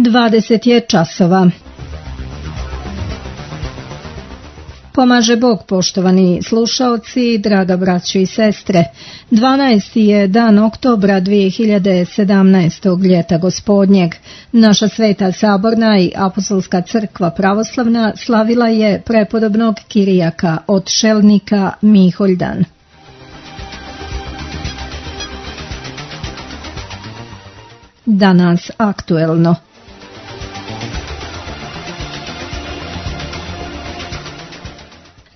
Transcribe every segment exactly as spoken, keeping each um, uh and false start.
dvadeset je časova. Pomaže Bog, poštovani slušaoci, draga braćo i sestre. dvanaesti je dan oktobra dvije hiljade sedamnaestog ljeta gospodnjeg. Naša Sveta Saborna i Apostolska crkva pravoslavna slavila je prepodobnog Kirijaka od Šelnika Miholjdan. Danas aktuelno.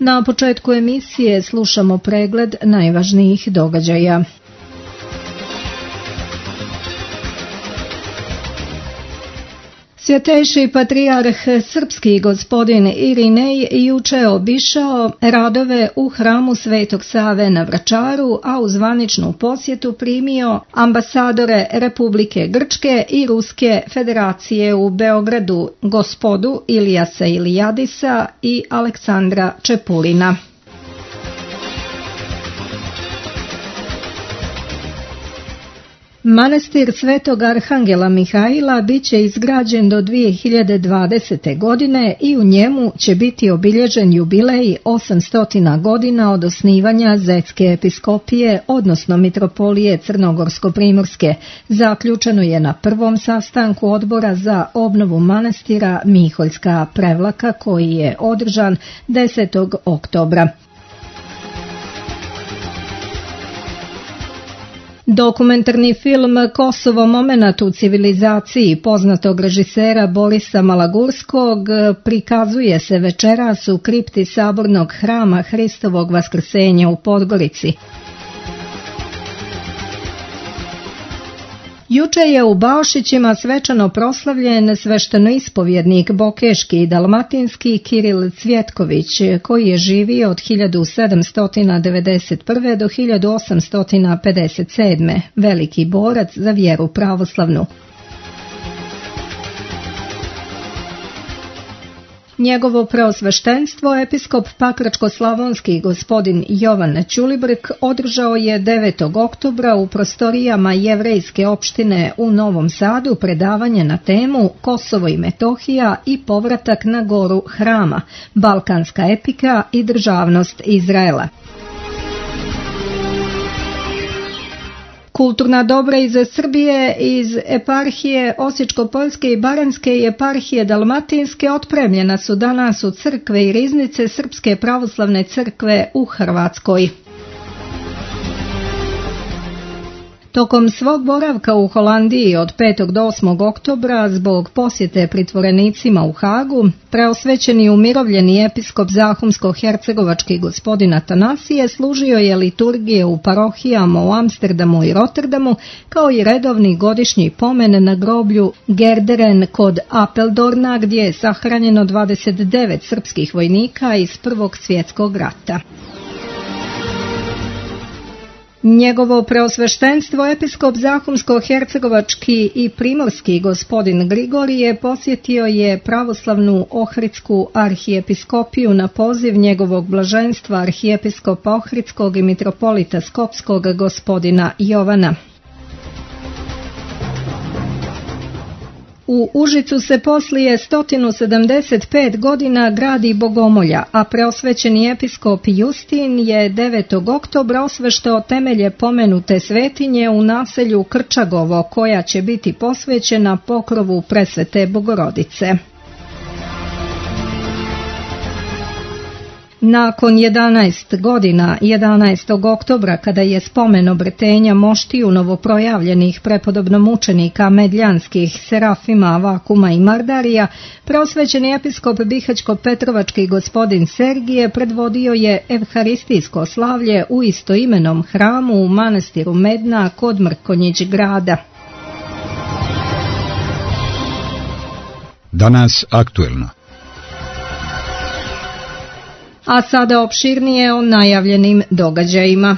Na početku emisije slušamo pregled najvažnijih događaja. Svjetejši patrijarh srpski gospodin Irinej juče obišao radove u hramu Svetog Save na Vračaru, a u zvaničnu posjetu primio ambasadore Republike Grčke i Ruske federacije u Beogradu, gospodu Ilijasa Ilijadisa i Aleksandra Čepulina. Manastir Svetog Arhangela Mihaila bit će izgrađen do dvije hiljade dvadesete. godine i u njemu će biti obilježen jubilej osamsto godina od osnivanja Zetske episkopije, odnosno mitropolije Crnogorsko-primorske. Zaključeno je na prvom sastanku odbora za obnovu manastira Miholjska Prevlaka koji je održan desetog oktobra. Dokumentarni film Kosovo momenat u civilizaciji poznatog režisera Borisa Malagurskog prikazuje se večeras u kripti Sabornog hrama Hristovog Vaskrsenja u Podgorici. Juče je u Baošićima svečano proslavljen sveštenoispovjednik bokeški i dalmatinski Kiril Cvjetković, koji je živio od hiljadu sedamsto devedeset prve. do hiljadu osamsto pedeset sedme. Veliki borac za vjeru pravoslavnu. Njegovo preosveštenstvo, episkop Pakračko-slavonski gospodin Jovan Ćulibrk, održao je devetog oktobra u prostorijama jevrejske opštine u Novom Sadu predavanje na temu Kosovo i Metohija i povratak na goru Hrama, balkanska epika i državnost Izraela. Kulturna dobra iz Srbije, iz eparhije Osječko-poljske i Baranjske i eparhije Dalmatinske otpremljena su danas u crkve i riznice Srpske pravoslavne crkve u Hrvatskoj. Tokom svog boravka u Holandiji od petog do osmog oktobra zbog posjete pritvorenicima u Hagu, preosvećeni umirovljeni episkop Zahumsko-hercegovački gospodin Atanasije služio je liturgije u parohijama u Amsterdamu i Rotterdamu, kao i redovni godišnji pomen na groblju Gerderen kod Apeldorna, gdje je sahranjeno dvadeset devet srpskih vojnika iz Prvog svjetskog rata. Njegovo preosveštenstvo episkop Zahumsko-hercegovački i primorski gospodin Grigorije posjetio je pravoslavnu Ohridsku arhijepiskopiju na poziv njegovog blaženstva arhijepiskopa Ohridskog i mitropolita Skopskog gospodina Jovana. U Užicu se poslije sto sedamdeset pet godina gradi bogomolja, a preosvećeni episkop Justin je devetog oktobra osveštao temelje pomenute svetinje u naselju Krčagovo, koja će biti posvećena pokrovu Presvete Bogorodice. Nakon jedanaest godina, jedanaestog oktobra, kada je spomen obretenja moštiju novoprojavljenih prepodobnomučenika medljanskih Serafima, Vakuma i Mardarija, preosvećeni episkop Bihaćko-Petrovački gospodin Sergije predvodio je evharistijsko slavlje u istoimenom hramu u manastiru Medna kod Mrkonjić grada. Danas aktuelno. A sada opširnije o najavljenim događajima.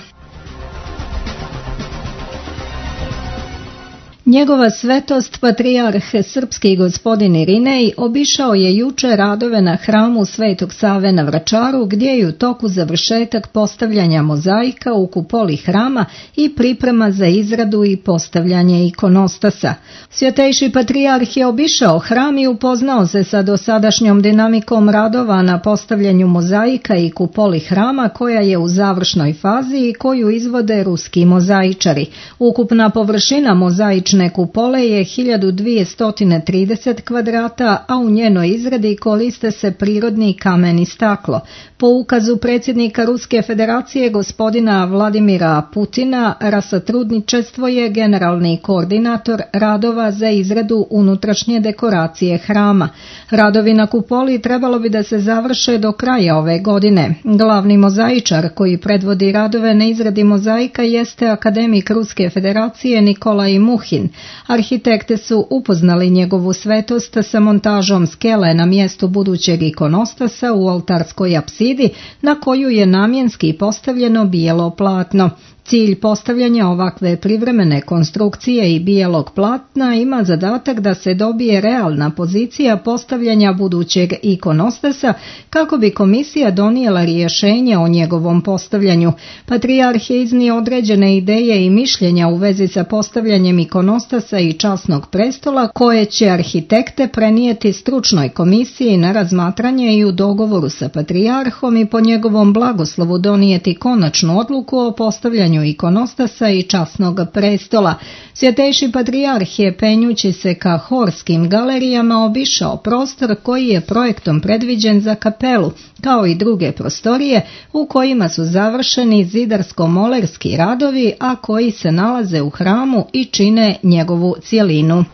Njegova svetost patrijarh srpski gospodin Irinej obišao je juče radove na hramu Svetog Save na Vračaru, gdje je u toku završetak postavljanja mozaika u kupoli hrama i priprema za izradu i postavljanje ikonostasa. Svjetejši patrijarh je obišao hram i upoznao se sa dosadašnjom dinamikom radova na postavljanju mozaika i kupoli hrama, koja je u završnoj fazi i koju izvode ruski mozaičari. Ukupna površina mozaične kupole je hiljadu dvjesto trideset kvadrata, a u njenoj izradi koriste se prirodni kamen i staklo. Po ukazu predsjednika Ruske federacije gospodina Vladimira Putina, Rasatrudničestvo je generalni koordinator radova za izradu unutrašnje dekoracije hrama. Radovi na kupoli trebalo bi da se završe do kraja ove godine. Glavni mozaičar koji predvodi radove na izradi mozaika jeste akademik Ruske federacije Nikolaj Muhin. Arhitekte su upoznali njegovu svetost sa montažom skele na mjestu budućeg ikonostasa u oltarskoj apsidi, na koju je namjenski postavljeno bijelo platno. Cilj postavljanja ovakve privremene konstrukcije i bijelog platna ima zadatak da se dobije realna pozicija postavljanja budućeg ikonostasa, kako bi komisija donijela rješenje o njegovom postavljanju. Patrijarh je iznio određene ideje i mišljenja u vezi sa postavljanjem ikonostasa i časnog prestola, koje će arhitekte prenijeti stručnoj komisiji na razmatranje i u dogovoru sa patrijarhom i po njegovom blagoslovu donijeti konačnu odluku o postavljanju ikonostasa i časnog prestola. Svjetejši patrijarh je, penjući se ka horskim galerijama, obišao prostor koji je projektom predviđen za kapelu, kao i druge prostorije u kojima su završeni zidarsko-molerski radovi, a koji se nalaze u hramu i čine njegovu cjelinu.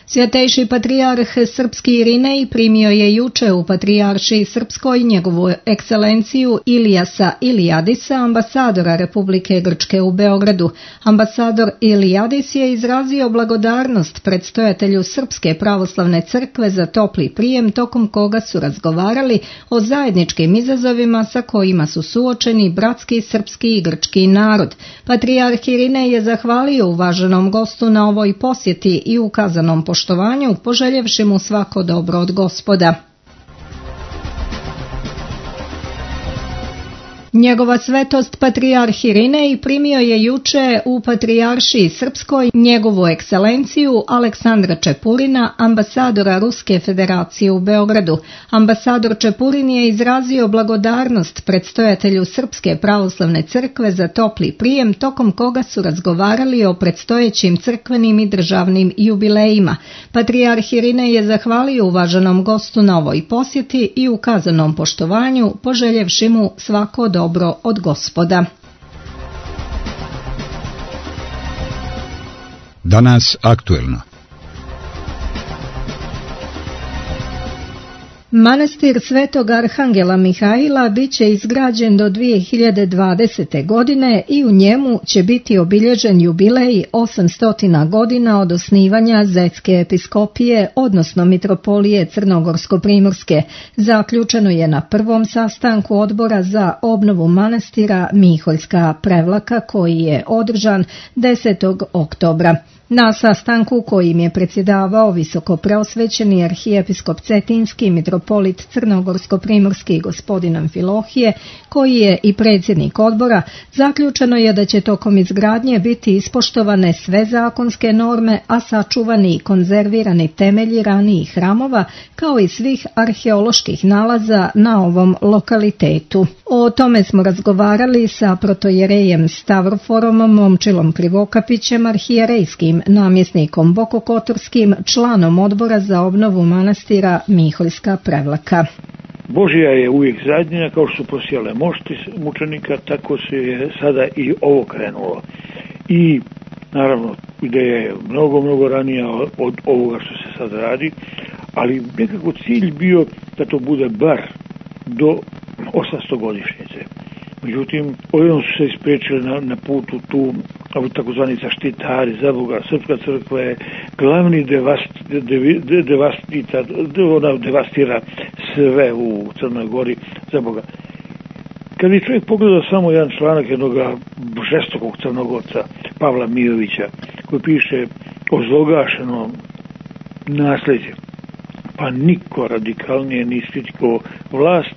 Svjetejši patrijarh srpski Irinej primio je juče u patrijaršiji srpskoj njegovu ekscelenciju Ilijasa Ilijadisa, ambasadora Republike Grčke u Beogradu. Ambasador Ilijadis je izrazio blagodarnost predstojatelju Srpske pravoslavne crkve za topli prijem, tokom koga su razgovarali o zajedničkim izazovima sa kojima su suočeni bratski srpski i grčki narod. Patrijarh Irinej je zahvalio uvaženom gostu na ovoj posjeti i ukazanom poštovanju, poželjevši mu svako dobro od Gospoda. Njegova svetost patrijarh Irinej primio je juče u patrijaršiji srpskoj njegovu ekscelenciju Aleksandra Čepurina, ambasadora Ruske federacije u Beogradu. Ambasador Čepurin je izrazio blagodarnost predstojatelju Srpske pravoslavne crkve za topli prijem, tokom koga su razgovarali o predstojećim crkvenim i državnim jubilejima. Patrijarh Irinej je zahvalio uvaženom gostu na ovoj posjeti i ukazanom poštovanju, poželjevši mu svako dobro dobro od Gospoda. Danas aktuelno. Manastir Svetog Arhangela Mihaila bit će izgrađen do dvije hiljade dvadesete. godine i u njemu će biti obilježen jubilej osamsto godina od osnivanja Zetske episkopije, odnosno mitropolije Crnogorsko-primorske. Zaključeno je na prvom sastanku odbora za obnovu manastira Miholjska Prevlaka, koji je održan desetog oktobra. Na sastanku kojim je predsjedavao visoko preosvećeni arhijepiskop Cetinski mitropolit Crnogorsko-primorski gospodin Amfilohije, koji je i predsjednik odbora, zaključeno je da će tokom izgradnje biti ispoštovane sve zakonske norme, a sačuvani i konzervirani temelji ranijih hramova, kao i svih arheoloških nalaza na ovom lokalitetu. O tome smo razgovarali sa protojerejem Stavroforom Momčilom Krivokapićem, arhijerejskim namjesnikom Bokokotorskim, članom odbora za obnovu manastira Miholjska Prevlaka. Božja je uvijek zadnja, kao što su posijale mošti mučenika, tako se je sada i ovo krenulo. I naravno ideja je mnogo, mnogo ranija od ovoga što se sad radi, ali nekako cilj bio da to bude bar do osamsto godišnjice. Međutim, ovdje su se ispriječili na, na putu tu takozvani zaštitari, za Boga, Srpska crkva je glavni devast, devi, de, devastita, de, ona devastira sve u Crnoj Gori, za Boga. kad bi čovjek pogledao samo jedan članak jednog žestokog crnogorca Pavla Mijovića koji piše o zlogašenom nasljeđu, pa niko radikalnije nije kritikovao vlast,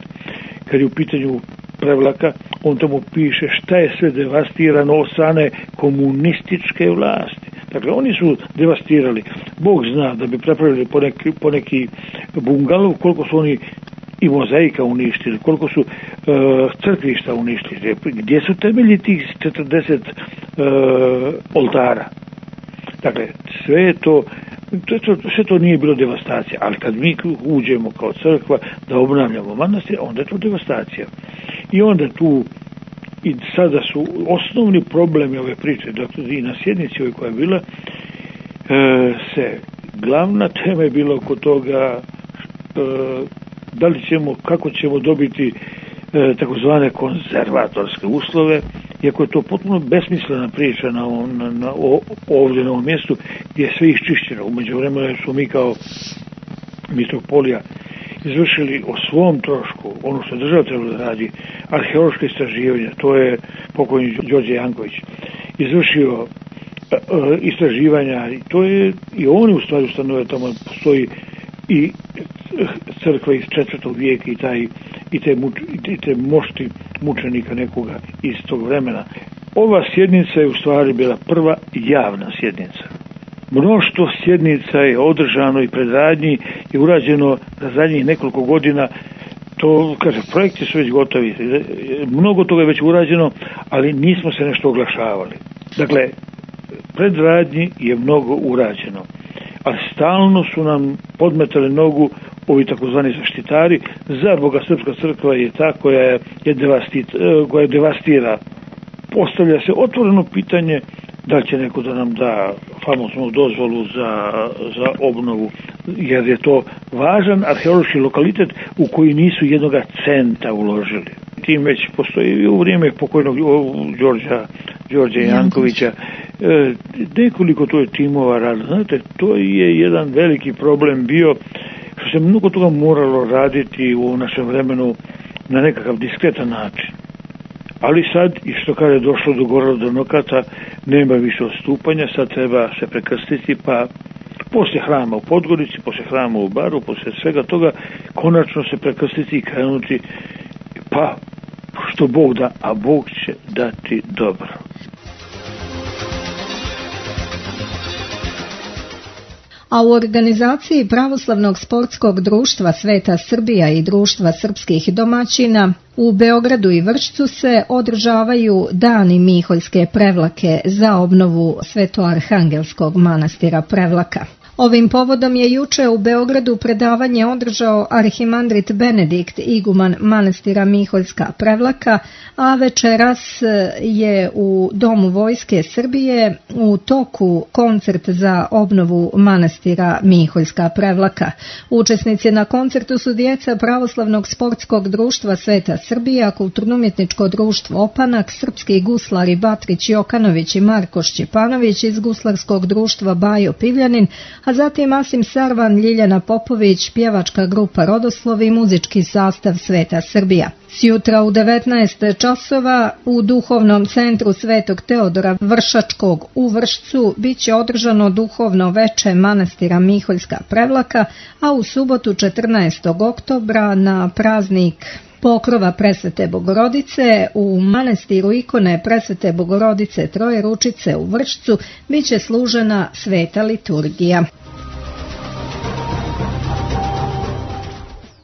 kad je u pitanju Prevlaka, on tamo piše šta je sve devastirano od strane komunističke vlasti. Dakle, oni su devastirali. Bog zna da bi prepravili poneki, poneki bungalov, koliko su oni i mozaika uništili, koliko su uh, crkvišta uništili, gdje su temelji tih četrdeset uh, oltara. Dakle, sve je to, to, sve to nije bilo devastacija, ali kad mi uđemo kao crkva da obnavljamo manastir, onda je to devastacija. I onda tu i sada su osnovni problemi ove priče, dakle i na sjednici ovoj koja je bila, e, se glavna tema je bila oko toga e, da li ćemo, kako ćemo dobiti e, takozvane konzervatorske uslove, iako je to potpuno besmislena priča na, na, na, ovdje na ovom mjestu gdje je sve iščišćeno. U međuvremenu smo mi kao mitropolija izvršili o svom trošku ono što država trebala da radi, arheološke istraživanja, to je pokojni Đorđe Janković izvršio e, istraživanja i to je i oni u stvari ustanovili, tamo postoji i crkva iz četvrtog vijeka i taj i te, muč, i te mošti mučenika nekoga iz tog vremena. Ova sjednica je u stvari bila prva javna sjednica. Mnoštvo sjednica je održano i predradnji je urađeno za zadnjih nekoliko godina. To, kaže, projekti su već gotovi, mnogo toga je već urađeno, ali nismo se nešto oglašavali. Dakle, predradnji je mnogo urađeno, ali stalno su nam podmetali nogu ovi takozvani zaštitari. Za Boga, Srpska crkva je ta koja je, je, devastit, koja je devastira. Postavlja se otvoreno pitanje da će neko da nam da famoznu dozvolu za, za obnovu, jer je to važan arheološki lokalitet u koji nisu jednoga centa uložili. Tim već postoji i u vrijeme pokojnog Đorđa, Đorđa Jankovića, e, nekoliko to je timova rada. Znate, to je jedan veliki problem bio, što se mnogo toga moralo raditi u našem vremenu na nekakav diskretan način. Ali sad, i što kada je došlo do Gorala do Nokata, nema više odstupanja, sad treba se prekrstiti, pa poslije hrama u Podgorici, poslije hrama u Baru, poslije svega toga, konačno se prekrstiti i krenuti, pa što Bog da, a Bog će dati dobro. A u organizaciji Pravoslavnog sportskog društva Sveta Srbija i Društva srpskih domaćina u Beogradu i Vršcu se održavaju dani Miholjske Prevlake za obnovu Svetoarhangelskog manastira Prevlaka. Ovim povodom je juče u Beogradu predavanje održao arhimandrit Benedikt, iguman manastira Miholjska Prevlaka, a večeras je u Domu Vojske Srbije u toku koncert za obnovu manastira Miholjska Prevlaka. Učesnici na koncertu su djeca Pravoslavnog sportskog društva Sveta Srbija, Kulturno-umjetničko društvo Opanak, srpski guslari Batrić Jokanović i Marko Šćepanović iz guslarskog društva Bajo Pivljanin, a zatim Asim Sarvan, Ljiljana Popović, pjevačka grupa Rodoslov i muzički sastav Sveta Srbija. Sjutra u devetnaest časova u Duhovnom centru Svetog Teodora Vršačkog u Vršcu bit će održano duhovno veče manastira Miholjska Prevlaka, a u subotu četrnaestog oktobra na praznik Pokrova Presvete Bogorodice u manastiru ikone Presvete Bogorodice Trojeručice u Vršcu bit će služena sveta liturgija.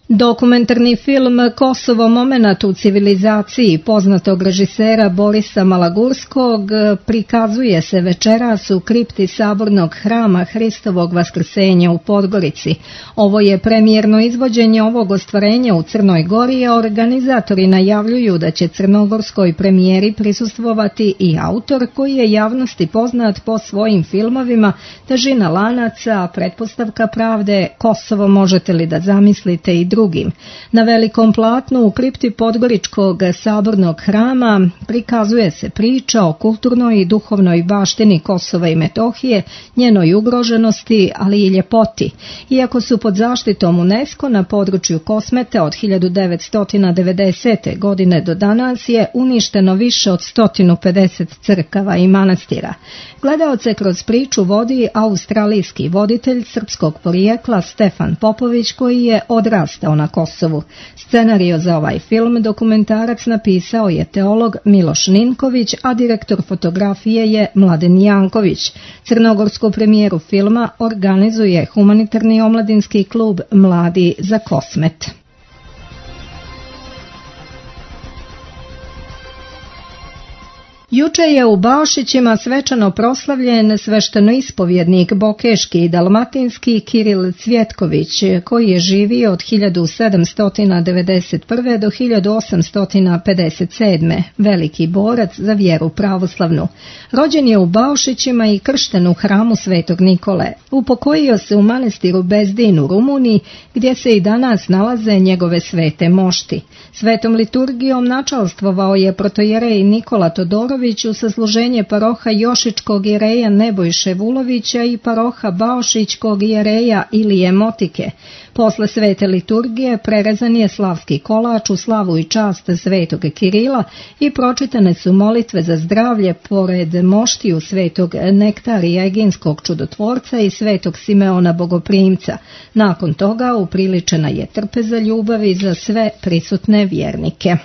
Dokumentarni film Kosovo momenat u civilizaciji poznatog režisera Borisa Malagurskog prikazuje se večeras u kripti Sabornog hrama Hristovog Vaskrsenja u Podgorici. Ovo je premijerno izvođenje ovog ostvarenja u Crnoj Gori, a organizatori najavljuju da će crnogorskoj premijeri prisustvovati i autor koji je javnosti poznat po svojim filmovima Težina lanaca, Pretpostavka pravde, Kosovo možete li da zamislite i drugim. Na velikom platnu u kripti Podgoričkog sabornog hrama prikazuje se priča o kulturnoj i duhovnoj baštini Kosova i Metohije, njenoj ugroženosti, ali i ljepoti. Iako su pod zaštitom UNESCO na području Kosmete od hiljadu devetsto devedesete. godine do danas je uništeno više od sto pedeset crkava i manastira. Gledaoce kroz priču vodi australijski voditelj srpskog porijekla Stefan Popović, koji je odrastao na Kosovu. Scenario za ovaj film dokumentarac napisao je teolog Miloš Ninković, a direktor fotografije je Mladen Janković. Crnogorsku premijeru filma organizuje humanitarni omladinski klub Mladi za Kosmet. Juče je u Baošićima svečano proslavljen sveštenoispovjednik bokeški i dalmatinski Kiril Cvjetković, koji je živio od hiljadu sedamsto devedeset prve. do hiljadu osamsto pedeset sedme. Veliki borac za vjeru pravoslavnu. Rođen je u Baošićima i kršten u hramu Svetog Nikole. Upokojio se u manastiru Bezdin u Rumuniji, gdje se i danas nalaze njegove svete mošti. Svetom liturgijom načalstvovao je protojerej Nikola Todorović u sasluženje paroha Jošičkog jereja Nebojše Vulovića i paroha Baošićkog jereja Ilije Motike. Posle svete liturgije prerezan je slavski kolač u slavu i čast svetog Kirila i pročitane su molitve za zdravlje pored moštiju svetog Nektarija Eginskog čudotvorca i svetog Simeona Bogoprimca. Nakon toga upriličena je trpeza ljubavi za sve prisutne vjernike.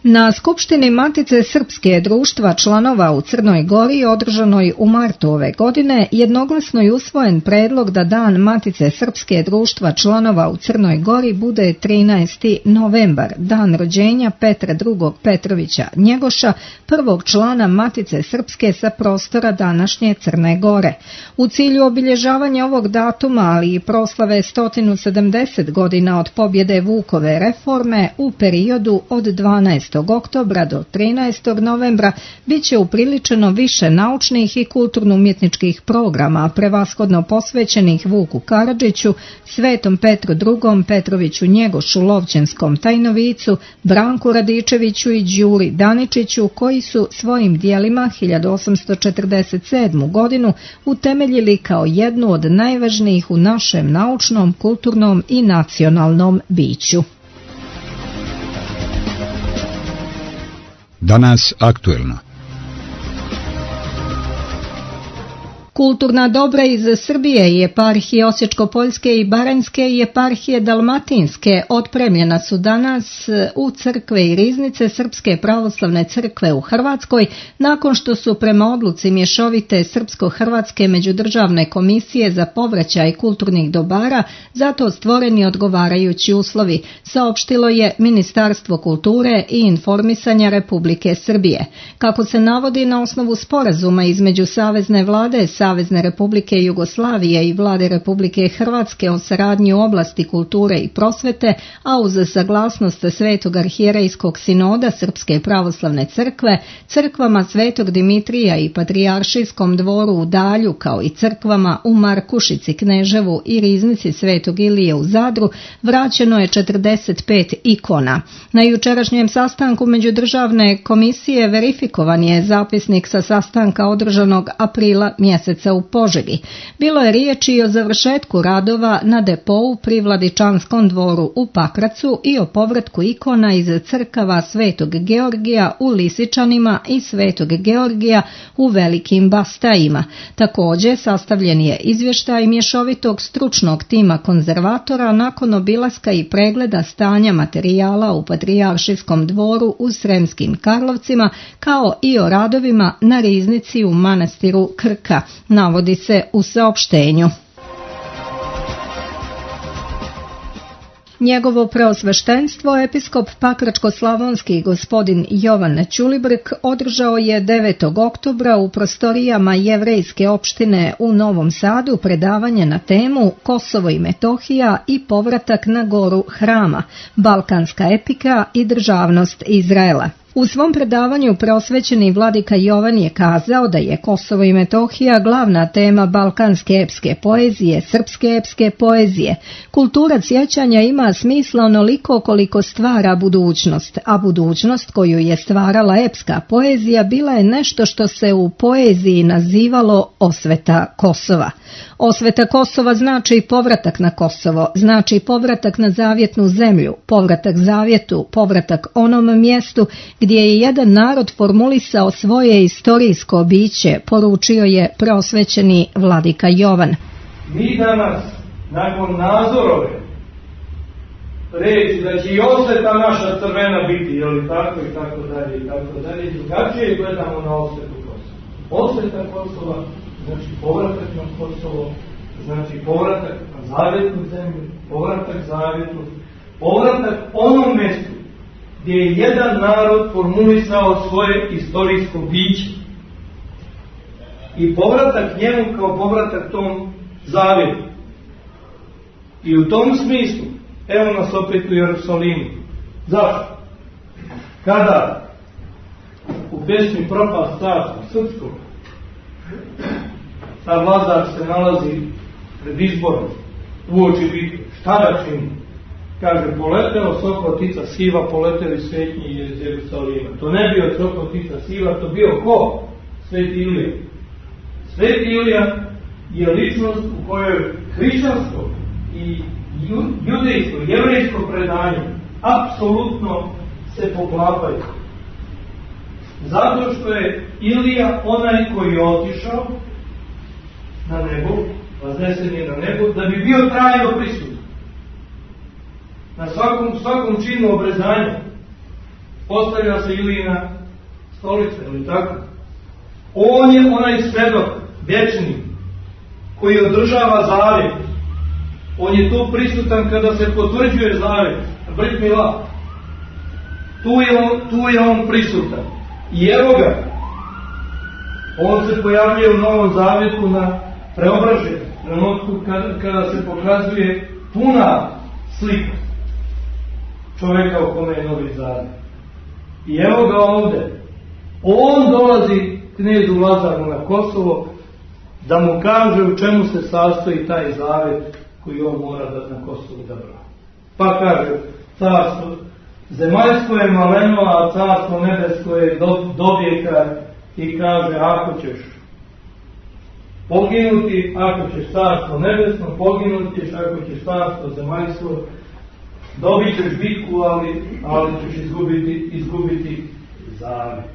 Na Skupštini Matice Srpske društva članova u Crnoj Gori, održanoj u martu ove godine, jednoglasno je usvojen predlog da Dan Matice Srpske društva članova u Crnoj Gori bude trinaesti novembar, dan rođenja Petra drugog Petrovića Njegoša, prvog člana Matice Srpske sa prostora današnje Crne Gore. U cilju obilježavanja ovog datuma, ali i proslave sto sedamdeset godina od pobjede Vukove reforme, u periodu od dvanaestog oktobra do trinaestog novembra bit će upriličeno više naučnih i kulturno-umjetničkih programa, prevashodno posvećenih Vuku Karadžiću, Svetom Petru drugom Petroviću Njegošu Lovćenskom Tajnovicu, Branku Radičeviću i Đuri Daničiću, koji su svojim dijelima hiljadu osamsto četrdeset sedmu. godinu utemeljili kao jednu od najvažnijih u našem naučnom, kulturnom i nacionalnom biću. Danas aktuelno. Kulturna dobra iz Srbije i eparhije Osječko-Poljske i Baranjske i eparhije Dalmatinske otpremljena su danas u crkve i riznice Srpske pravoslavne crkve u Hrvatskoj, nakon što su prema odluci mješovite Srpsko-Hrvatske međudržavne komisije za povraćaj kulturnih dobara zato stvoreni odgovarajući uslovi, saopštilo je Ministarstvo kulture i informisanja Republike Srbije. Kako se navodi na osnovu sporazuma između Savezne vlade Savezne Republike Jugoslavije i Vlade Republike Hrvatske o saradnji u oblasti kulture i prosvete, a uz saglasnost Svetog arhijerejskog sinoda Srpske pravoslavne crkve, crkvama Svetog Dimitrija i Patrijaršijskom dvoru u Dalju, kao i crkvama u Markušici, Kneževu i riznici Svetog Ilije u Zadru, vraćeno je četrdeset pet ikona. Na jučerašnjem sastanku međudržavne komisije verifikovan je zapisnik sa sastanka održanog aprila mjeseca u Požegi. Bilo je riječi o završetku radova na depou pri Vladičanskom dvoru u Pakracu i o povratku ikona iz crkava Svetog Georgija u Lisičanima i Svetog Georgija u Velikim Bastajima. Također sastavljen je izvještaj mješovitog stručnog tima konzervatora nakon obilaska i pregleda stanja materijala u Patrijaršijskom dvoru u Sremskim Karlovcima, kao i o radovima na riznici u manastiru Krka, navodi se u saopštenju. Njegovo preosveštenstvo, episkop Pakračko-slavonski gospodin Jovan Ćulibrk, održao je devetog oktobra u prostorijama jevrejske opštine u Novom Sadu predavanje na temu Kosovo i Metohija i povratak na goru Hrama, balkanska epika i državnost Izraela. U svom predavanju prosvećeni vladika Jovan je kazao da je Kosovo i Metohija glavna tema balkanske epske poezije, srpske epske poezije. Kultura sjećanja ima smisla onoliko koliko stvara budućnost, a budućnost koju je stvarala epska poezija bila je nešto što se u poeziji nazivalo osveta Kosova. Osveta Kosova znači povratak na Kosovo, znači povratak na zavjetnu zemlju, povratak zavjetu, povratak onom mjestu gdje je jedan narod formulisao svoje istorijsko biće, poručio je prosvećeni vladika Jovan. Mi danas, nakon Nazorove reći da će i osveta naša crvena biti, jel tako i tako dalje i tako dalje, drugačije gledamo na osvetu Kosova. Osveta Kosova znači povratak na Kosovo, znači povratak na zavjetnu zemlju, povratak zavjetu, povratak onom mjestu gdje je jedan narod formulisao svoje istorijsko biće i povratak njemu kao povratak tom zavjetu. I u tom smislu, evo nas opet u Jerusalimu. Zašto? Kada u pesmi Propast carstva srpskog ta vladar se nalazi pred izborom uoči bitke, šta da čini? Kaže, poleteo Sokotica siva, poleteli svetnji iz Jerusalima. To ne bio Sokotica siva, to bio ko? Sveti Ilija. Sveti Ilija je ličnost u kojoj hrišćansko i judejsko, jevrejsko predanje apsolutno se poklapaju. Zato što je Ilija onaj koji je otišao na nebo, vaznesen je na nebo, da bi bio trajno prisutan. Na svakom, svakom činu obrezanja postavlja se Ilijina stolica, ili tako? On je onaj svedok, vječni, koji održava zavjet. On je tu prisutan kada se potvrđuje zavjet. Brit mila. Tu je on, tu je on prisutan. I evo ga, on se pojavljuje u Novom zavjetu na preobraženju, trenutku kada, kada se pokazuje puna slika čovjeka u kome je Novi zavjet. I evo ga ovdje. On dolazi knezu Lazaru na Kosovo da mu kaže u čemu se sastoji taj zavjet koji on mora da na Kosovu da brani. Pa kaže, carstvo zemaljsko je maleno, a carstvo nebesko je do, dobijeka i kaže, ako ćeš poginuti, ako ćeš carstvo nebesno, poginuti ćeš, ako ćeš carstvo zemaljsko, dobit ćeš bitku, ali, ali ćeš izgubiti, izgubiti zavjet.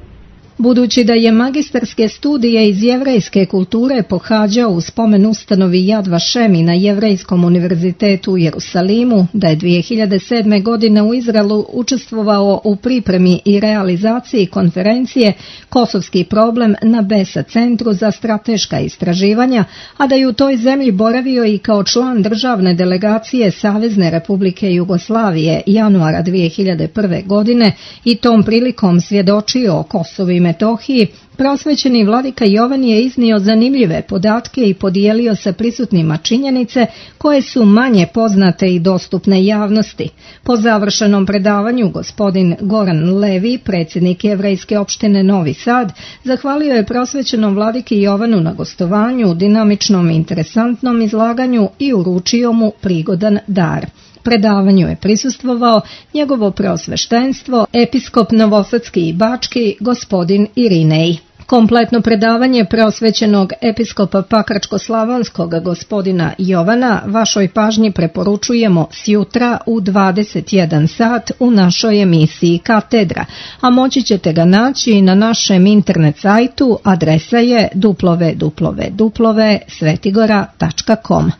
Budući da je magistarske studije iz jevrejske kulture pohađao u spomen ustanovi Yad Vashem na Jevrejskom univerzitetu u Jerusalimu, da je dvije hiljade sedme. godine u Izraelu učestvovao u pripremi i realizaciji konferencije Kosovski problem na Besa centru za strateška istraživanja, a da je u toj zemlji boravio i kao član državne delegacije Savezne Republike Jugoslavije januara dvije hiljade prve. godine i tom prilikom svjedočio o Kosovu i Metohiji, prosvećeni vladika Jovan je iznio zanimljive podatke i podijelio sa prisutnima činjenice koje su manje poznate i dostupne javnosti. Po završenom predavanju gospodin Goran Levi, predsjednik Jevrejske opštine Novi Sad, zahvalio je prosvećenom vladiki Jovanu na gostovanju, dinamičnom i interesantnom izlaganju i uručio mu prigodan dar. Predavanju je prisustvovao njegovo preosveštenstvo, episkop Novosadski i Bački, gospodin Irinej. Kompletno predavanje preosvećenog episkopa Pakračko-slavonskog gospodina Jovana vašoj pažnji preporučujemo sjutra u dvadeset jedan sat u našoj emisiji Katedra, a moći ćete ga naći na našem internet sajtu, adresa je w w w tačka svetigora tačka com.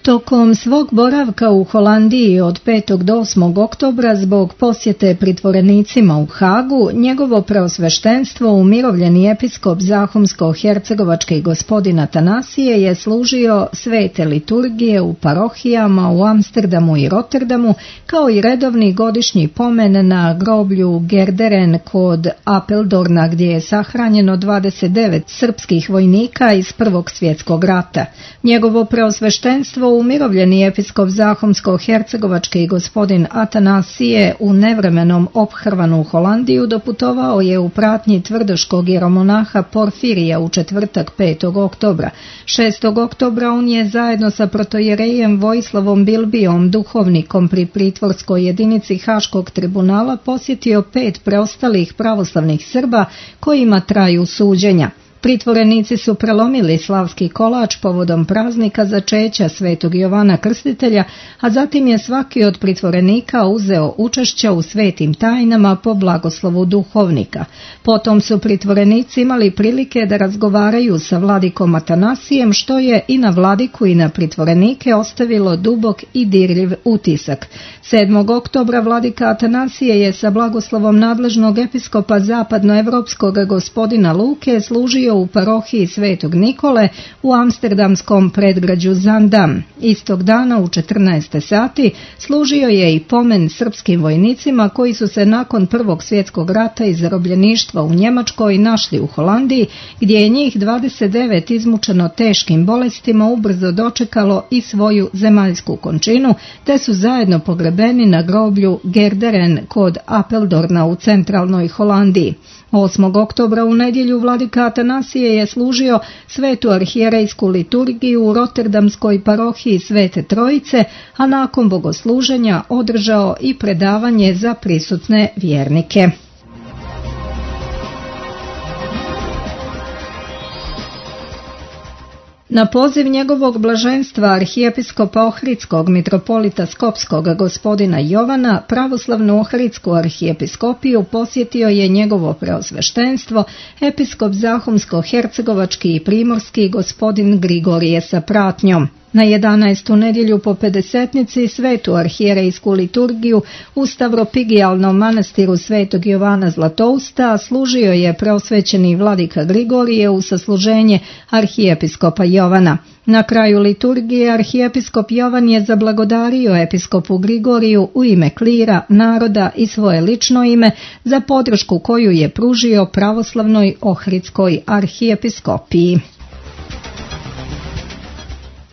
Tokom svog boravka u Holandiji od petog do osmog oktobra zbog posjete pritvorenicima u Hagu, njegovo preosveštenstvo umirovljeni episkop Zahumsko-hercegovački gospodin Atanasije je služio svete liturgije u parohijama u Amsterdamu i Rotterdamu, kao i redovni godišnji pomen na groblju Gerderen kod Apeldorna, gdje je sahranjeno dvadeset devet srpskih vojnika iz Prvog svjetskog rata. Njegovo preosveštenstvo umirovljeni episkop Zahumsko-hercegovački gospodin Atanasije u nevremenom ophrvanu Holandiju doputovao je u pratnji tvrdoškog jeromonaha Porfirija u četvrtak petog oktobra. šestog oktobra on je zajedno sa protojerejem Vojislavom Bilbijom, duhovnikom pri pritvorskoj jedinici Haškog tribunala, posjetio pet preostalih pravoslavnih Srba kojima traju suđenja. Pritvorenici su prelomili slavski kolač povodom praznika začeća Svetog Jovana Krstitelja, a zatim je svaki od pritvorenika uzeo učešća u svetim tajnama po blagoslovu duhovnika. Potom su pritvorenici imali prilike da razgovaraju sa vladikom Atanasijem, što je i na vladiku i na pritvorenike ostavilo dubok i dirljiv utisak. sedmog oktobra vladika Atanasije je sa blagoslovom nadležnog episkopa zapadnoevropskog gospodina Luke služio u parohiji Svetog Nikole u amsterdamskom predgrađu Zandam. Istog dana u četrnaest sati služio je i pomen srpskim vojnicima koji su se nakon Prvog svjetskog rata i zarobljeništva u Njemačkoj našli u Holandiji, gdje je njih dvadeset devet izmučeno teškim bolestima ubrzo dočekalo i svoju zemaljsku končinu, te su zajedno pogrebeni na groblju Gerderen kod Apeldorna u centralnoj Holandiji. osmog oktobra u nedjelju vladika Atanasije je služio svetu arhijerejsku liturgiju u Rotterdamskoj parohiji Svete Trojice, a nakon bogosluženja održao i predavanje za prisutne vjernike. Na poziv njegovog blaženstva arhijepiskopa Ohridskog mitropolita Skopskog gospodina Jovana, pravoslavnu Ohridsku arhijepiskopiju posjetio je njegovo preosveštenstvo, episkop Zahumsko-hercegovački i primorski gospodin Grigorije sa pratnjom. Na jedanaestu nedjelju po pedesetnici svetu arhijerejsku liturgiju u Stavropigijalnom manastiru Svetog Jovana Zlatousta služio je preosvećeni vladika Grigorije u sasluženje arhijepiskopa Jovana. Na kraju liturgije arhijepiskop Jovan je zablagodario episkopu Grigoriju u ime klira, naroda i svoje lično ime za podršku koju je pružio pravoslavnoj Ohridskoj arhijepiskopiji.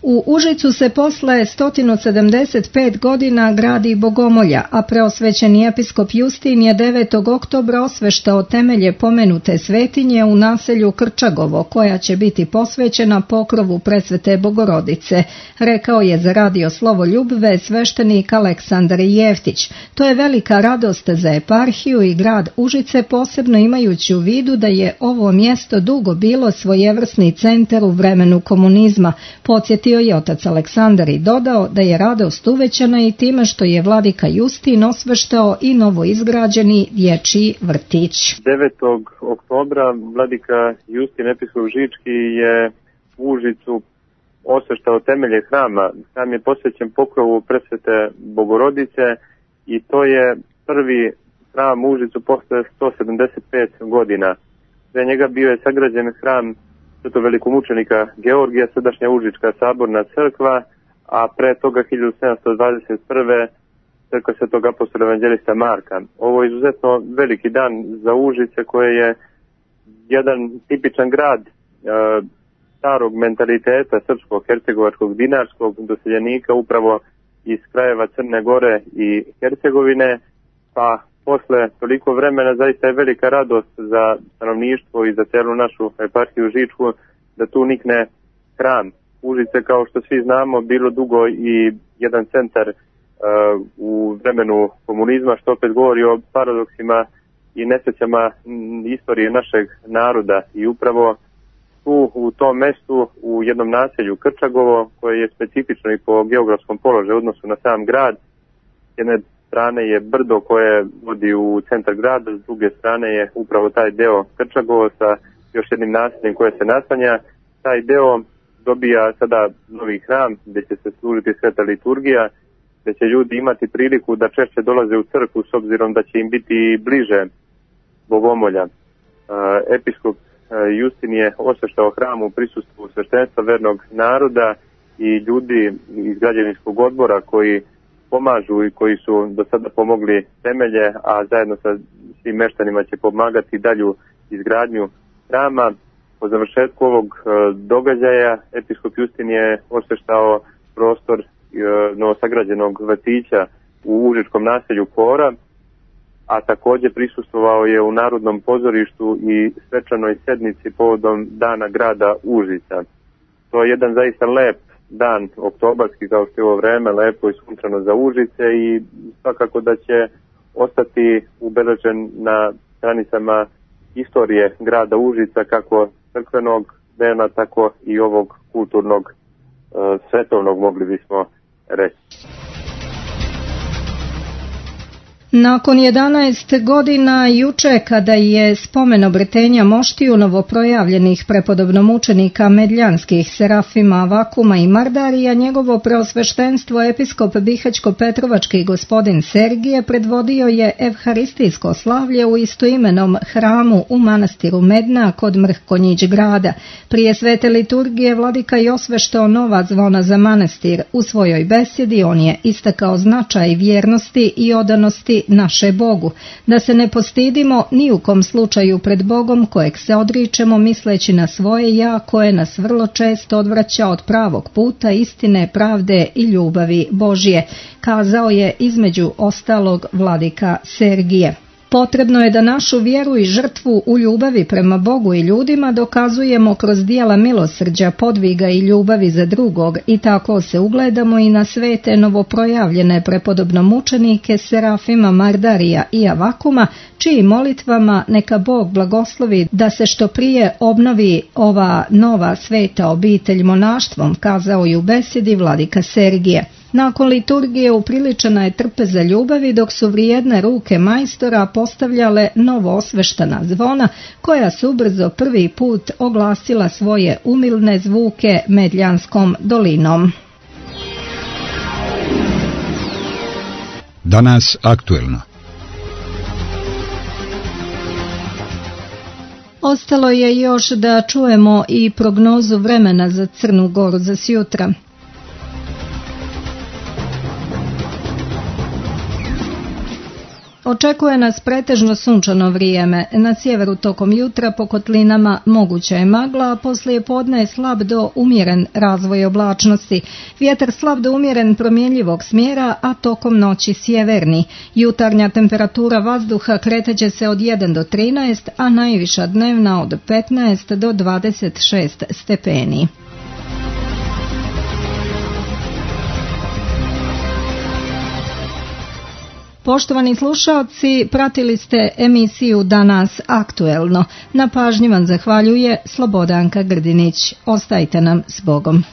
U Užicu se posle sto sedamdeset pet godina gradi Bogomolja, a preosvećeni episkop Justin je devetog oktobra osveštao temelje pomenute svetinje u naselju Krčagovo, koja će biti posvećena pokrovu Presvete Bogorodice, rekao je za radio Slovoljubve sveštenik Aleksandar Jeftić. To je velika radost za eparhiju i grad Užice, posebno imajući u vidu da je ovo mjesto dugo bilo svojevrsni centar u vremenu komunizma, podsjetio je otac Aleksandar i dodao da je radost uvećana i time što je vladika Justin osveštao i novo izgrađeni dječji vrtić. devetog oktobra vladika Justin episkop Žički je u Užicu osveštao temelje hrama. Hram je posvećen pokrovu Presvete Bogorodice i to je prvi hram u Užicu posle sto sedamdeset pet godina. Pre njega bio je sagrađen hram svetog velikomučenika Georgija, sadašnja Užička saborna crkva, a pre toga hiljadu sedamsto dvadeset prve crkva svetog apostola evanđelista Marka. Ovo je izuzetno veliki dan za Užice, koje je jedan tipičan grad e, starog mentaliteta srpskog, hercegovačkog, dinarskog doseljenika upravo iz krajeva Crne Gore i Hercegovine, pa posle toliko vremena zaista je velika radost za stanovništvo i za celu našu eparhiju Žičku da tu nikne hram. Užice, kao što svi znamo, bilo dugo i jedan centar uh, u vremenu komunizma, što opet govori o paradoksima i nesrećama istorije našeg naroda. I upravo tu u tom mestu, u jednom naselju Krčagovo, koje je specifično i po geografskom položaju odnosu na sam grad, jedne strane je brdo koje vodi u centar grada, s druge strane je upravo taj deo Krčagovo sa još jednim naseljem koje se naslanja. Taj deo dobija sada novi hram gdje će se služiti sveta liturgija, gdje će ljudi imati priliku da češće dolaze u crkvu s obzirom da će im biti bliže Bogomolja. Episkop Justin je osveštao hram u prisustvu sveštenstva vernog naroda i ljudi iz građevinskog odbora koji pomažu i koji su do sada pomogli temelje, a zajedno sa svim meštanima će pomagati dalju izgradnju hrama. Po završetku ovog događaja episkop Justin je osveštao prostor novosagrađenog vrtića u užičkom naselju Kora, a također prisustvovao je u Narodnom pozorištu i svečanoj sednici povodom Dana grada Užica. To je jedan zaista lep dan, oktobarski kao što je ovo vreme, lepo i sunčano za Užice i svakako da će ostati ubeležen na stranicama istorije grada Užica, kako crkvenog dela, tako i ovog kulturnog, svetovnog, mogli bismo reći. Nakon jedanaest godina juče, kada je spomen obretenja moštiju novoprojavljenih prepodobnomučenika medljanskih Serafima, Vakuma i Mardarija, njegovo preosveštenstvo episkop Bihaćko-Petrovački gospodin Sergije predvodio je evharistijsko slavlje u istoimenom hramu u manastiru Medna kod Mrhkonjić grada. Prije svete liturgije vladika je osveštao nova zvona za manastir. U svojoj besjedi on je istakao značaj vjernosti i odanosti naše Bogu, da se ne postidimo ni u kom slučaju pred Bogom kojeg se odričemo misleći na svoje ja, koje nas vrlo često odvraća od pravog puta, istine, pravde i ljubavi Božje, kazao je između ostalog vladika Sergije. Potrebno je da našu vjeru i žrtvu u ljubavi prema Bogu i ljudima dokazujemo kroz dijela milosrđa, podviga i ljubavi za drugog i tako se ugledamo i na svete novoprojavljene prepodobnomučenike Serafima, Mardarija i Avakuma, čiji molitvama neka Bog blagoslovi da se što prije obnovi ova nova sveta obitelj monaštvom, kazao i u besedi vladika Sergije. Nakon liturgije upriličena je trpeza ljubavi, dok su vrijedne ruke majstora postavljale novo osveštana zvona, koja su brzo prvi put oglasila svoje umilne zvuke Medljanskom dolinom. Danas aktuelno. Ostalo je još da čujemo i prognozu vremena za Crnu Goru za sjutra. Očekuje nas pretežno sunčano vrijeme. Na sjeveru tokom jutra po kotlinama moguća je magla, a poslije podne je slab do umjeren razvoj oblačnosti. Vjetar slab do umjeren promjenjivog smjera, a tokom noći sjeverni. Jutarnja temperatura vazduha kretaće se od jedan do trinaest, a najviša dnevna od petnaest do dvadeset šest stepeni. Poštovani slušalci, pratili ste emisiju Danas aktuelno. Na pažnji vam zahvaljuje Slobodanka Grdinić. Ostajte nam s Bogom.